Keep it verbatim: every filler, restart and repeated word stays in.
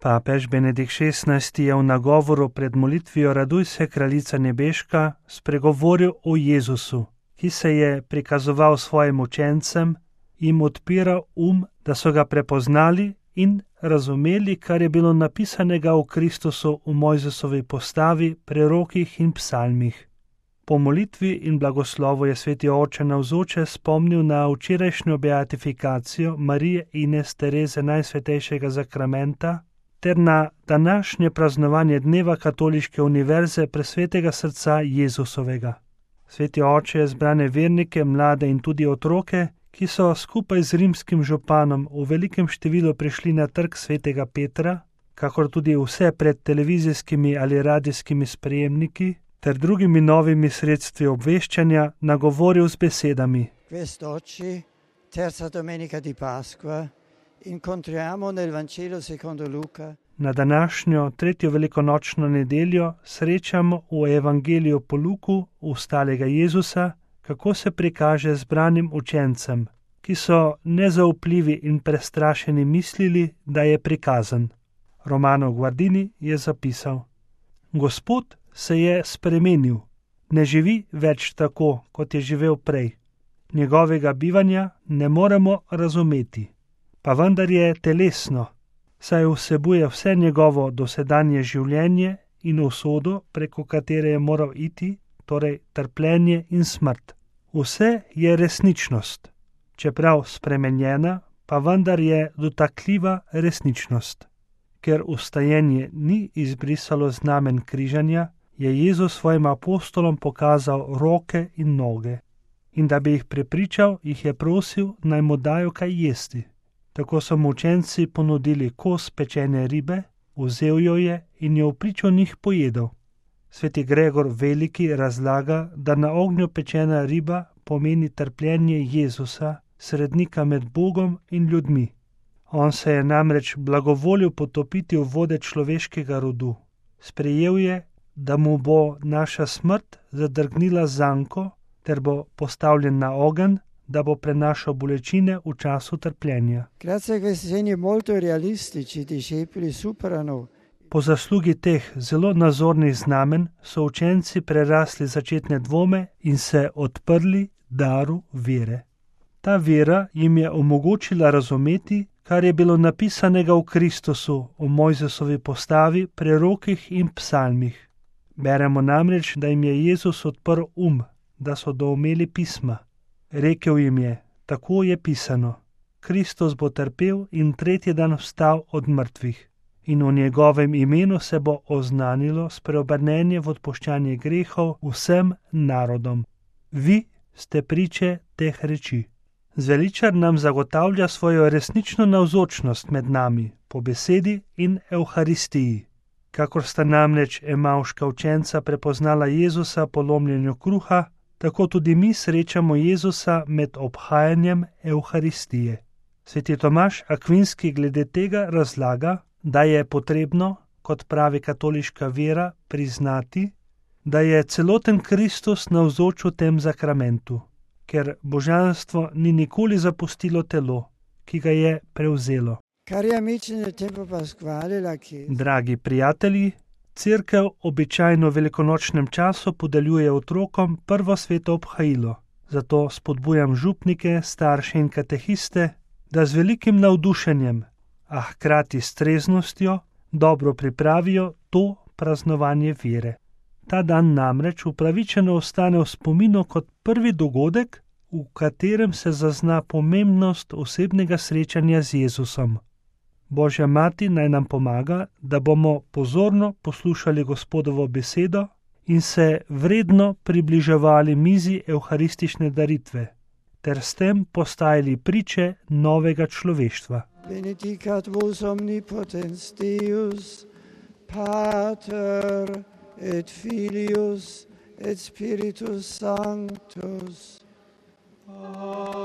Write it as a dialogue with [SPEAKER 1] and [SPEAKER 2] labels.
[SPEAKER 1] Papež Benedikt šestnajsti je v nagovoru pred molitvijo Raduj se, kraljica nebeška, spregovoril o Jezusu, ki se je prikazoval svojim učencem, jim odpiral um, da so ga prepoznali in razumeli, kar je bilo napisanega v Kristusu v Mojzesovi postavi, prerokih in psalmih. Po molitvi in blagoslovu je sveti oče navzoče spomnil na včerajšnjo beatifikacijo Marije Ines Tereze Najsvetejšega zakramenta ter na današnje praznovanje dneva Katoliške univerze Presvetega srca Jezusovega. Sveti oče je zbrane vernike, mlade in tudi otroke, ki so skupaj z rimskim županom v velikem številu prišli na trg svetega Petra, kakor tudi vse pred televizijskimi ali radijskimi sprejemniki ter drugimi novimi sredstvi obveščanja nagovoril z besedami.
[SPEAKER 2] Quest'oggi, terza domenica di Pasqua, incontriamo nel Vangelo secondo Luca.
[SPEAKER 1] Na današnjo tretjo velikonočno nedeljo srečamo v Evangeliju po Luku ustalega Jezusa, kako se prikaže zbranim učencem, ki so nezaupljivi in prestrašeni mislili, da je prikazan. Romano Guardini je zapisal: Gospod se je spremenil, ne živi več tako, kot je živel prej. Njegovega bivanja ne moremo razumeti, pa vendar je telesno, saj vsebuje vse njegovo dosedanje življenje in usodo, preko katere je moral iti, torej trpljenje in smrt. Vse je resničnost, čeprav spremenjena, pa vendar je dotakljiva resničnost. Ker vstajenje ni izbrisalo znamen križanja, je Jezus svojim apostolom pokazal roke in noge. In da bi jih prepričal, jih je prosil, naj mu dajo kaj jesti. Tako so mu učenci ponudili kos pečene ribe, vzel jo je in jo v pričo njih pojedel. Sveti Gregor Veliki razlaga, da na ognju pečena riba pomeni trpljenje Jezusa, srednika med Bogom in ljudmi. On se je namreč blagovolil potopiti v vode človeškega rodu. Sprejel je, da mu bo naša smrt zadrgnila zanko, ter bo postavljen na ogenj, da bo prenašal bolečine v času trpljenja.
[SPEAKER 2] Grazie a questi segni molto realistici, i discepoli superano.
[SPEAKER 1] Po zaslugi teh zelo nazornih znamen so učenci prerasli začetne dvome in se odprli daru vere. Ta vera jim je omogočila razumeti, kar je bilo napisanega v Kristusu, v Mojzesovi postavi, prerokih in psalmih. Beremo namreč, da jim je Jezus odprl um, da so doumeli pisma. Rekel jim je, tako je pisano, Kristus bo trpel in tretji dan vstal od mrtvih. In v njegovem imenu se bo oznanilo spreobrnenje v odpuščanje grehov vsem narodom. Vi ste priče teh reči. Zveličar nam zagotavlja svojo resnično navzočnost med nami, po besedi in evharistiji. Kakor sta namreč emavška učenca prepoznala Jezusa po lomljenju kruha, tako tudi mi srečamo Jezusa med obhajanjem evharistije. Sveti Tomaž Akvinski glede tega razlaga, da je potrebno, kot pravi katoliška vera, priznati, da je celoten Kristus navzoč v tem zakramentu, ker božanstvo ni nikoli zapustilo telo, ki ga je prevzelo. Dragi prijatelji, Cerkev običajno v velikonočnem času podeljuje otrokom prvo sveto obhajilo, zato spodbujam župnike, starše in katehiste, da z velikim navdušenjem, a hkrati s treznostjo, dobro pripravijo to praznovanje vere. Ta dan namreč upravičeno ostane v spominu kot prvi dogodek, v katerem se zazna pomembnost osebnega srečanja z Jezusom. Božja mati naj nam pomaga, da bomo pozorno poslušali Gospodovo besedo in se vredno približevali mizi evharistične daritve, ter s tem postajali priče novega človeštva.
[SPEAKER 2] Benedicat vos omnipotens Deus, Pater et Filius et Spiritus Sanctus. Amen.